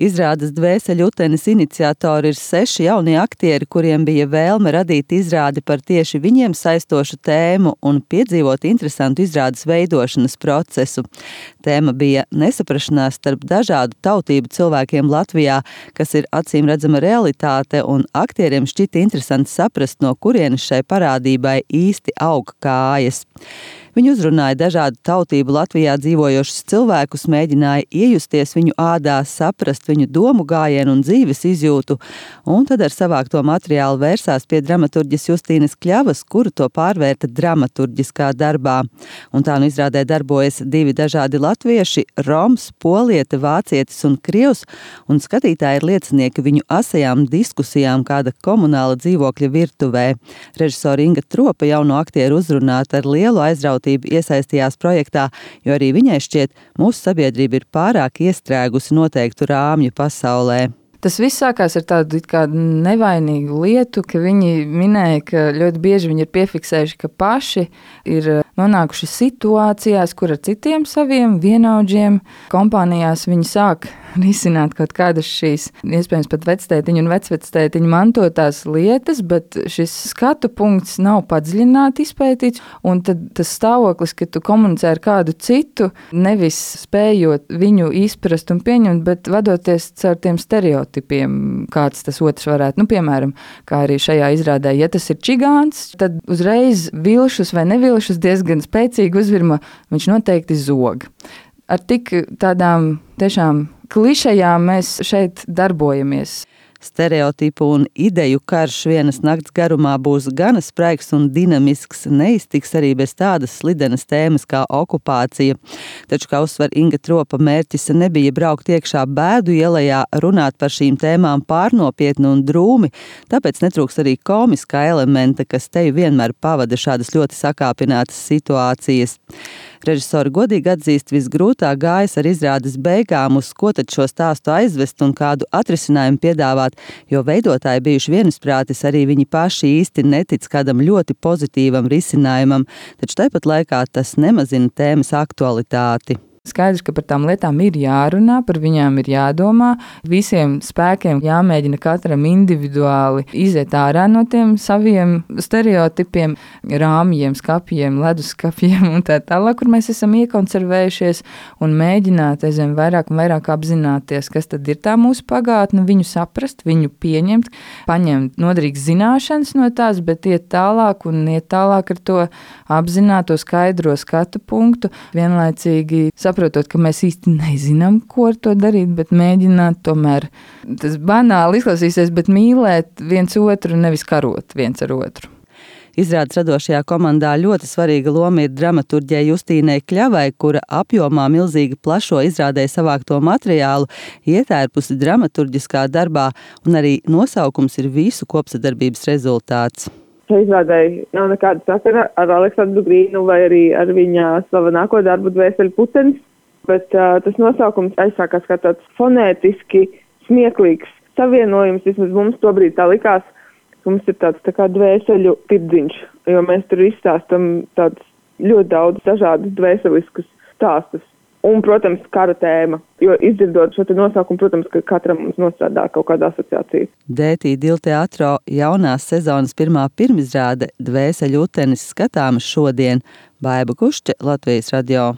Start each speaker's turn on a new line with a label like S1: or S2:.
S1: Izrādes Dvēseļutenis iniciatori ir 6 jaunie aktieri, kuriem bija vēlme radīt izrādi par tieši viņiem saistošu tēmu un piedzīvot interesantu izrādes veidošanas procesu. Tēma bija nesaprašanās starp dažādu tautību cilvēkiem Latvijā, kas ir acīmredzama realitāte, un aktieriem šķita interesanti saprast, no kurienes šai parādībai īsti aug kājas. Viņi uzrunāja dažādu tautību Latvijā dzīvojošus cilvēkus, mēģināja iejusties viņu ādā, saprast viņu domu gājienu un dzīves izjūtu, un tad ar savākto materiālu vērsās pie dramaturģes Justīnas Kļavas, kura to pārvērta dramaturģiskā darbā. Un tā nu izrādē darbojas 2 dažādi latvieši – roms, poliete, vācietis un krievs, un skatītāji ir liecinieki viņu asajām diskusijām kāda komunāla dzīvokļa virtuvē. Režisore Inga Tropa jauno aktieru uzrunāta ar lielu aizrautību iesaistījās projektā, jo arī viņai šķiet, mūsu sabiedrība ir pārāk iestrēgusi noteiktu rāmju pasaulē.
S2: Tas viss sākās ar tādu kā nevainīgu lietu, ka viņi minēja, ka ļoti bieži viņi ir piefiksējuši, ka paši ir nonākuši situācijās, kur ar citiem saviem vienaudžiem kompānijās viņi sāk risināt kaut kādas šīs, iespējams pat vectētiņu un vecvectētiņu mantotās lietas, bet šis skatu punkts nav padziļināti izpētīts, un tad tas stāvoklis, ka tu komunicē ar kādu citu, nevis spējot viņu izprast un pieņemt, bet vadoties caur tiem stereotipiem, kāds tas otrs varētu. Piemēram, kā arī šajā izrādē, ja tas ir čigāns, tad uzreiz vilšus vai nevilšus diezgan spēcīgi uzvirma, viņš noteikti zog. Ar tik tādām tiešām klišejām mēs šeit darbojamies.
S1: Stereotipu un ideju karš vienas nakts garumā būs gana spraigs un dinamisks, neiztiks arī bez tādas slidenas tēmas kā okupācija. Taču, kā uzsver Inga Tropa, mērķis nebija braukt iekšā bēdu ielajā, runāt par šīm tēmām pārnopietni un drūmi, tāpēc netrūks arī komiskā elementa, kas teju vienmēr pavada šādas ļoti sakāpinātas situācijas. Režisori godīgi atzīst, visgrūtāk gājas ar izrādes beigām, uz ko tad šo stāstu aizvest un kādu atrisinājumu piedāvāt, jo veidotāji bijuši vienisprātis, arī viņi paši īsti netic kādam ļoti pozitīvam risinājumam, taču tāpat laikā tas nemazina tēmas aktualitāti.
S2: Skaidrs, ka par tām lietām ir jārunā, par viņām ir jādomā, visiem spēkiem jāmēģina katram individuāli iziet ārā no tiem saviem stereotipiem, rāmjiem, skapjiem, leduskapjiem un tā tālāk, kur mēs esam iekonservējušies un mēģināt aizvien vairāk un vairāk apzināties, kas tad ir tā mūsu pagātne, viņu saprast, viņu pieņemt, paņemt noderīgas zināšanas no tās, bet iet tālāk ar to apzināto skaidro skatu punktu, vienlaicīgi saprotot, ka mēs īsti nezinām, ko ar to darīt, bet mēģināt tomēr, tas banāli izklausīsies, bet mīlēt viens otru, nevis karot viens ar otru.
S1: Izrādes radošajā komandā ļoti svarīga loma ir dramaturģei Justīnai Kļavai, kura apjomā milzīgi plašo izrādē savākto materiālu ietērpusi dramaturģiskā darbā, un arī nosaukums ir visu kopsadarbības rezultāts.
S3: Izrādēji nav nekāda sakara ar Aleksandru Grīnu vai arī ar viņa slavenāko darbu Dvēseļutenis, bet tas nosaukums aizsākās kā tāds fonētiski smieklīgs savienojums, vismaz mums tobrīd tā likās, ka mums ir tāds tā kā dvēseļu tirdziņš, jo mēs tur izstāstam tādus ļoti daudz dažādus dvēseliskus stāstus. Un, protams, kara tēma, jo izdzirdot šo nosaukumu, protams, ka katram mums nostrādā kaut kāda asociācija.
S1: DT Dilteatro jaunās sezonas pirmā pirmizrāde Dvēseļutenis skatāmas šodien. Baiba Kušķe, Latvijas radio.